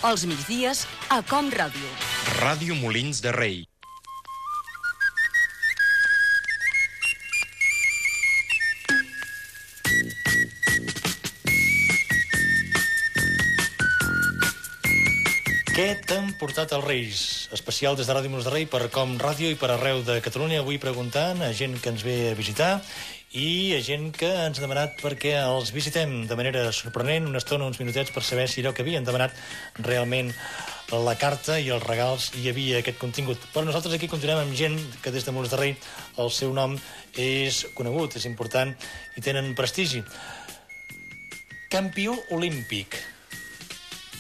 Els migdies a Com Ràdio. Ràdio Molins de Rei. Què t'han portat els Reis? Especial des de Ràdio Molins de Rei per Com Ràdio i per arreu de Catalunya. Avui preguntant a gent que ens ve a visitar i a gent que ens ha demanat perquè els visitem de manera sorprenent una estona, uns minutets, per saber si allò que havien demanat realment la carta i els regals hi havia aquest contingut. Però nosaltres aquí continuem amb gent que des de Molins de Rei el seu nom és conegut, és important i tenen prestigi. Campió olímpic,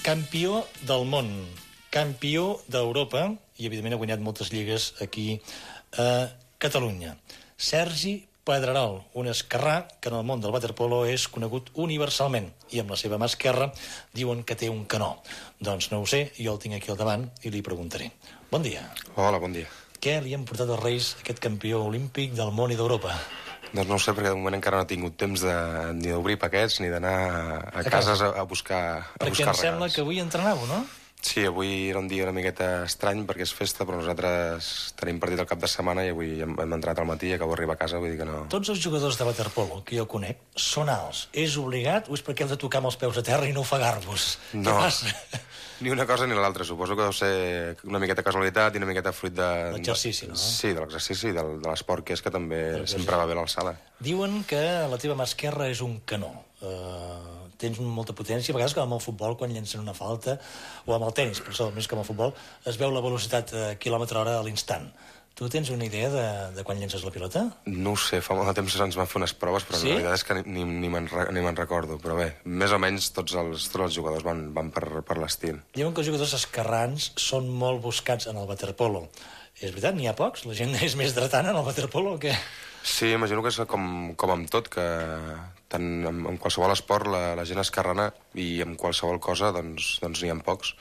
campió del món, campió d'Europa i, evidentment, ha guanyat moltes lligues aquí a Catalunya. Sergi Pedrerol, un esquerrà que en el món del waterpolo és conegut universalment i amb la seva mà esquerra diuen que té un canó. Doncs no ho sé, jo el tinc aquí al davant i li preguntaré. Bon dia. Hola, bon dia. Què li han portat els Reis aquest campió olímpic del món i d'Europa? Doncs no ho sé, perquè de moment encara no he tingut temps ni d'obrir paquets ni d'anar a cases a buscar regals. Perquè em sembla que avui entrenàveu, no? Sí, avui era un dia una miqueta estrany perquè és festa, però nosaltres tenim partit el cap de setmana i avui hem entrenat al matí i acabo d'arribar a casa, vull dir que no... Tots els jugadors de waterpolo que jo conec són alts. És obligat o és perquè heu de tocar amb els peus a terra i no ofegar-vos? No. Què passa? Ni una cosa ni l'altra. Suposo que deu ser una miqueta casualitat i una miqueta fruit de... L'exercici, no? Sí, de l'exercici i de l'esport, que és que també sempre va bé l'alçada. Diuen que la teva mà esquerra és un canó. Tens molta potència, a vegades com amb el futbol, quan llencen una falta, o amb el tenis, però més que amb el futbol, es veu la velocitat a quilòmetre hora a l'instant. Tu tens una idea de quan llences la pilota? No ho sé, fa molt de temps ens van fer unes proves, però sí? La veritat és que ni me'n recordo. Però bé, més o menys tots els jugadors van per l'estil. Diuen que els jugadors esquerrans són molt buscats en el waterpolo. És veritat, n'hi ha pocs? La gent és més dretana en el waterpolo o què? Sí, imagino que és com amb tot, que tant en qualsevol esport la gent esquerrana i en qualsevol cosa doncs n'hi ha pocs.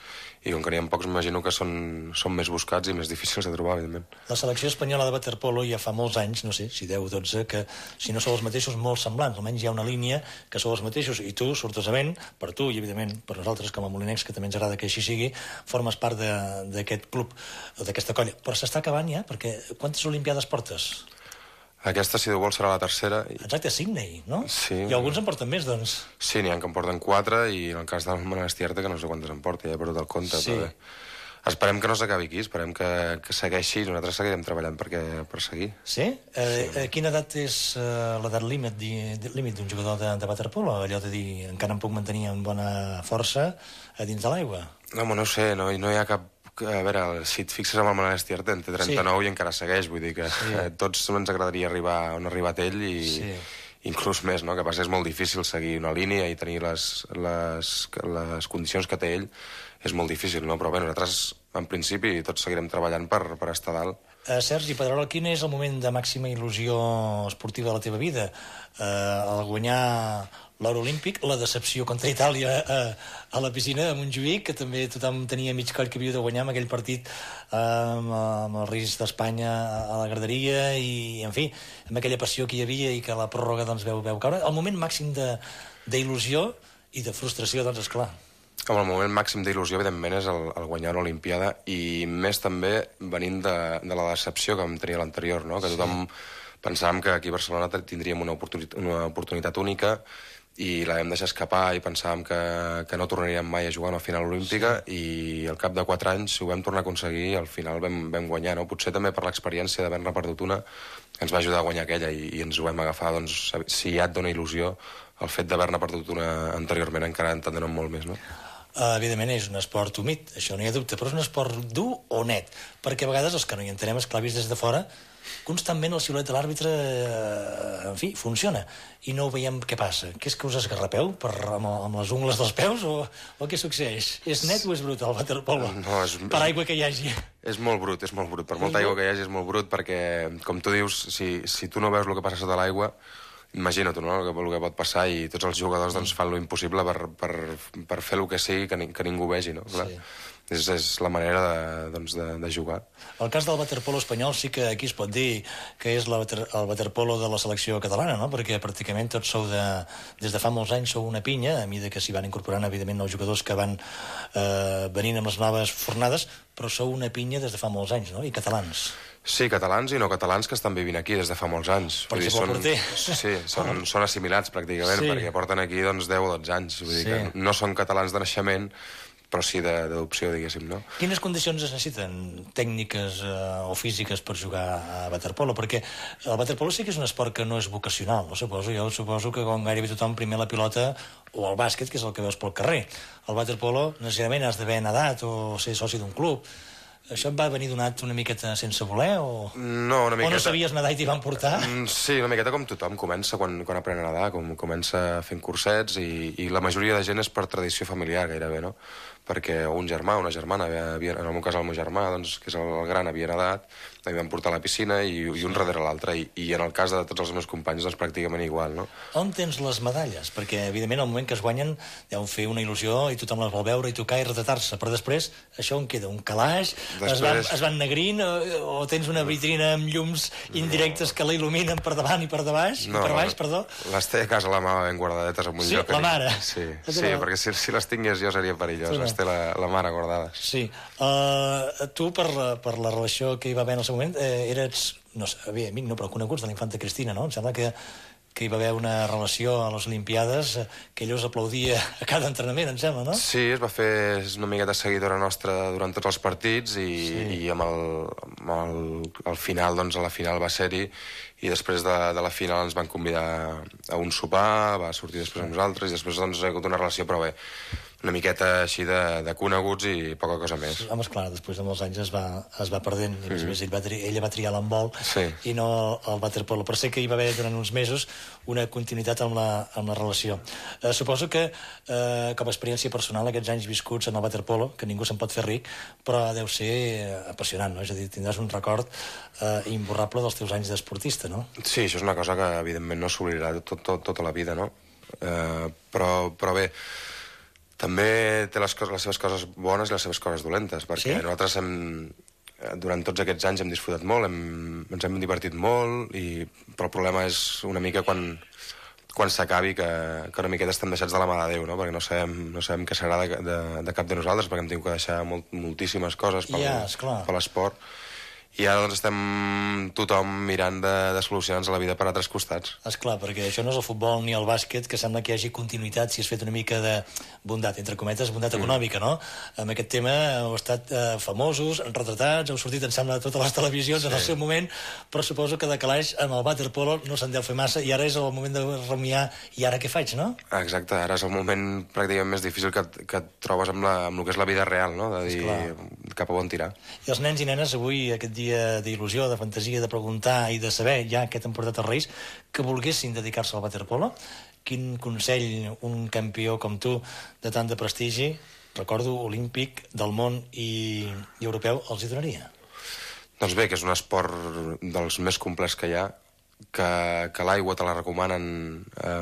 I com que n'hi ha pocs, m'imagino que són més buscats i més difícils de trobar, evidentment. La selecció espanyola de waterpolo ja fa molts anys, no sé, si 10 o 12, que si no sou els mateixos, molt semblants. Almenys hi ha una línia que sou els mateixos i tu, sortosament, per tu i, evidentment, per nosaltres com a molinencs, que també ens agrada que així sigui, formes part d'aquest club, d'aquesta colla. Però s'està acabant ja, perquè quantes olimpiades portes? Aquesta, si Déu vol, serà la tercera. Exacte, a Sydney, no? Sí. I alguns en porten més, doncs. Sí, n'hi ha que en porten 4 i en el cas del Manel Estierta, que no sé quantes en porta, ja he perdut el compte. Sí. Però bé. Esperem que no s'acabi aquí, esperem que segueixi i nosaltres seguirem treballant per seguir. Sí? A quina edat és l'edat límit d'un jugador de waterpolo? Allò de dir, encara em puc mantenir amb bona força a dins de l'aigua? No, no ho sé, no hi ha cap... A veure, si et fixes amb el Manel Estierta, en té 39 i encara segueix, vull dir que tots ens agradaria arribar on ha arribat ell i inclús més, no? Que passa és molt difícil seguir una línia i tenir les condicions que té ell, és molt difícil, no? Però bé, nosaltres, en principi, tots seguirem treballant per estar dalt. Sergi Pedrerol, quin és el moment de màxima il·lusió esportiva de la teva vida? El guanyar l'or olímpic, la decepció contra Itàlia a la piscina de Montjuïc, que també tothom tenia mig coll que havia de guanyar amb aquell partit amb el risc d'Espanya a la graderia i, en fi, amb aquella passió que hi havia i que la pròrroga doncs, veu caure. El moment màxim d'il·lusió i de frustració, doncs, esclar. Com el moment màxim d'il·lusió, evidentment, és el guanyar una Olimpiada i més també venint de la decepció que vam tenir a l'anterior, no? Que tothom pensàvem que aquí a Barcelona tindríem una oportunitat única i la vam deixar escapar i pensàvem que no tornaríem mai a jugar a una final olímpica i al cap de 4 anys ho vam tornar a aconseguir i al final vam guanyar, no? Potser també per l'experiència d'haver-ne perdut una ens va ajudar a guanyar aquella i ens ho vam agafar, doncs, si ja et dona il·lusió el fet d'haver-ne perdut una anteriorment encara en dona molt més, no? Evidentment és un esport humit, això no hi ha dubte, però és un esport dur o net, perquè a vegades els que no hi entenem, esclar, vist des de fora, constantment el xiulet de l'àrbitre, en fi, funciona, i no veiem què passa. Què és que us esgarrapeu amb les ungles dels peus o què succeeix? És net o és brut el waterpolo? No, per aigua que hi hagi. És molt brut, és molt brut. Per molta aigua que hi hagi és molt brut perquè, com tu dius, si tu no veus el que passa sota l'aigua, imagina't, no?, el que pot passar i tots els jugadors doncs, fan lo impossible per fer el que sigui que ningú vegi, no? Clar. és la manera de jugar. El cas del waterpolo espanyol sí que aquí es pot dir que és el waterpolo de la selecció catalana, no? Perquè pràcticament tots sou des de fa molts anys sou una pinya, a mesura que s'hi van incorporant evidentment nous jugadors que van venint amb les noves fornades, però sou una pinya des de fa molts anys, no? I catalans. Sí, catalans i no catalans que estan vivint aquí des de fa molts anys. Per exemple, el porter. Sí, són assimilats pràcticament, perquè porten aquí 10 o 12 anys. Vull dir que no són catalans de naixement, però sí d'adopció, diguéssim, no? Quines condicions es necessiten tècniques o físiques per jugar a waterpolo? Perquè el waterpolo sí que és un esport que no és vocacional, no suposo. Jo suposo que com gairebé tothom primer la pilota o el bàsquet, que és el que veus pel carrer. El waterpolo necessàriament has d'haver nedat o ser soci d'un club. Això et va venir donat una miqueta sense voler o... No, una miqueta... O no sabies nedar i t'hi van portar? Sí, una miqueta com tothom. Comença quan aprèn a nedar, comença fent cursets i la majoria de gent és per tradició familiar, gairebé, no? Perquè un germà, una germana, en el meu cas el meu germà, doncs, que és el gran, havia nedat, em van portar a la piscina i un darrere l'altre. I en el cas de tots els meus companys, doncs pràcticament igual, no? On tens les medalles? Perquè, evidentment, al moment que es guanyen deuen fer una il·lusió i tothom les vol veure i tocar i retratar-se. Però després, això on queda? Un calaix? Es van negrint? O tens una vitrina amb llums indirectes que la il·luminen per davant i per baix? No, per baix, perdó? Les té a casa la mare ben guardadetes en un lloc. Sí, la mare? Sí, perquè si les tingués jo seria perillós. Les té la mare guardades. Sí. Tu, per la relació que hi va haver en el seu moment, eres, no sé, amic no, però coneguts de la infanta Cristina, no? Em sembla que hi va haver una relació a les Olimpiades que ella us aplaudia a cada entrenament, em sembla, no? Sí, es va fer una miqueta seguidora nostra durant tots els partits i amb el final, doncs a la final va ser-hi i després de la final ens van convidar a un sopar, va sortir després amb nosaltres i després doncs ha hagut una relació, però bé, una miqueta així de coneguts i poca cosa més. Home, esclar, després de molts anys es va perdent i a més ella va triar l'handbol i no el waterpolo, però sé que hi va haver durant uns mesos una continuïtat amb la relació. Suposo que com a experiència personal aquests anys viscuts en el waterpolo, que ningú se'n pot fer ric, però deu ser apassionant, no? És a dir, tindràs un record imborrable dels teus anys d'esportista, no? Sí, això és una cosa que evidentment no s'oblidarà tota la vida, no? Però bé, també té les seves coses bones i les seves coses dolentes, perquè nosaltres durant tots aquests anys hem disfrutat molt, ens hem divertit molt, però el problema és una mica quan s'acabi que una miqueta estem deixats de la mà de Déu, no? Perquè no sabem què serà de cap de nosaltres, perquè hem tingut que deixar moltíssimes coses per l'esport. I ara doncs estem tothom mirant de solucionar-nos a la vida per altres costats. Esclar, perquè això no és el futbol ni el bàsquet, que sembla que hi hagi continuïtat si has fet una mica de bondat, entre cometes, bondat econòmica, no? Amb aquest tema heu estat famosos, retratats, heu sortit, em sembla, a totes les televisions en el seu moment, però suposo que de calaix amb el waterpolo no se'n deu fer massa i ara és el moment de rumiar i ara què faig, no? Exacte, ara és el moment pràcticament més difícil que et trobes amb el que és la vida real, no? De dir cap a on tirar. I els nens i nenes avui, aquest dia d'il·lusió, de fantasia, de preguntar i de saber ja què t'han portat els Reis, que volguessin dedicar-se al waterpolo, quin consell un campió com tu, de tant de prestigi, recordo, olímpic, del món i europeu, els hi donaria? Doncs bé, que és un esport dels més complets que hi ha, que l'aigua te la recomanen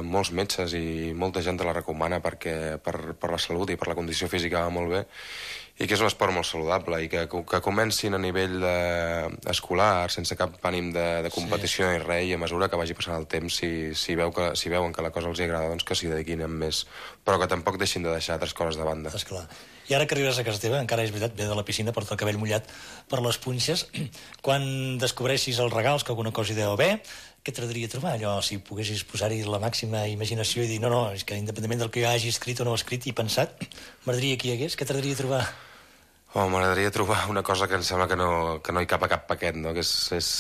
molts metges i molta gent te la recomana perquè per la salut i per la condició física va molt bé, i que és un esport molt saludable i que comencin a nivell escolar sense cap ànim de competició ni res, i a mesura que vagi passant el temps, si veuen que la cosa els agrada, doncs que s'hi dediquin amb més, però que tampoc deixin de deixar altres coses de banda. Esclar. I ara que arribes a casa teva, encara és veritat, ve de la piscina, porta el cabell mullat per les punxes, quan descobreixis els regals, que alguna cosa hi deu haver, què t'agradaria trobar? Allò, si poguessis posar-hi la màxima imaginació i dir, no, és que independentment del que jo hagi escrit o no escrit i pensat, m'agradaria que hi hagués, què t'agradaria trobar? M'agradaria trobar una cosa que em sembla que no hi cap a cap paquet, no? Que és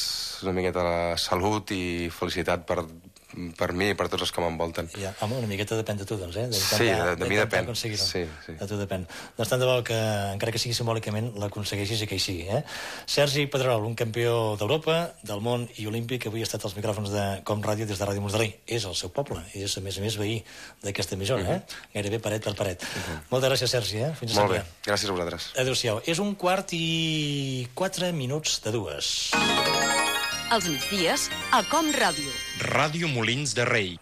una miqueta la salut i felicitat per mi i per tots els que m'envolten. Ja, home, una miqueta depèn de tu, doncs, eh? Sí, de mi depèn. Sí. De tu depèn. Doncs tant de bo que, encara que sigui simbòlicament, l'aconsegueixis i que hi sigui, eh? Sergi Pedrerol, un campió d'Europa, del món i olímpic, que avui ha estat als micròfons de Com Ràdio des de Ràdio Mos de Rei. És el seu poble, és, a més, veí d'aquesta emissora, eh? Gairebé paret per paret. Moltes gràcies, Sergi, eh? Fins a sempre. Molt bé, gràcies a vosaltres. Adéu-siau. És 1:04 Els migdies, a Com Ràdio. Ràdio Molins de Rei.